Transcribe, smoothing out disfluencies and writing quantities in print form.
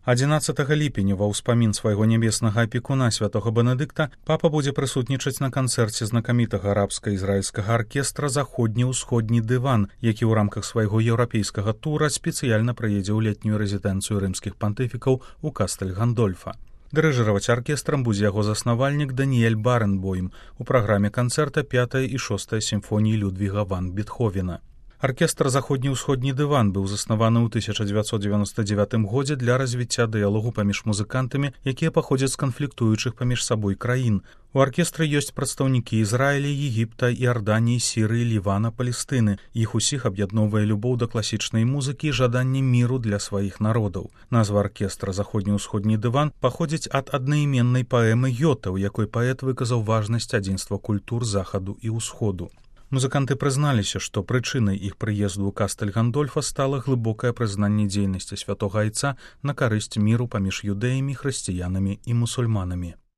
11 ліпеня ва ўспамін свайго нябеснага апекуна святога Бенедыкта папа будзе прысутнічаць на канцэрце знакамітага арабска-ізраільскага аркестра «Заходні-ўсходні дыван», які ў рамках свайго еўрапейскага тура спецыяльна прыедзе ў летнюю рэзідэнцыю рымскіх пантыфікаў у Кастэль-Гандольфа. Дырыжыраваць аркестрам будзе яго заснавальнік Даніэль Баренбойм у праграме канцэрта 5 і 6 сімфоніі Людвіга ван Бетховена. Аркестр «Заходні-ўсходні дыван» быў заснаваны ў 1999 годзе для развіцця дыялогу паміж музыкантамі, якія паходзяць з канфліктуючых паміж сабой краін. У аркестры ёсць прадстаўнікі Ізраіля, Егіпта, Іарданіі, Сірыі, Лівана, Палестыны. Іх усіх аб'ядноўвае любоў да класічнай музыкі і жаданне міру для сваіх народаў. Назва аркестра «Заходні-ўсходні дыван» паходзіць ад аднайменнай паэмы Гёта, у якой паэт выказаў важнасць адзінства культур захаду і ўсходу. Музыканты прызналіся, што прычынай іх прыезду ў Кастэль-Гандольфа стала глыбокае прызнанне дзейнасці святога айца на карысць міру паміж юдэямі, хрысціянамі і мусульманамі.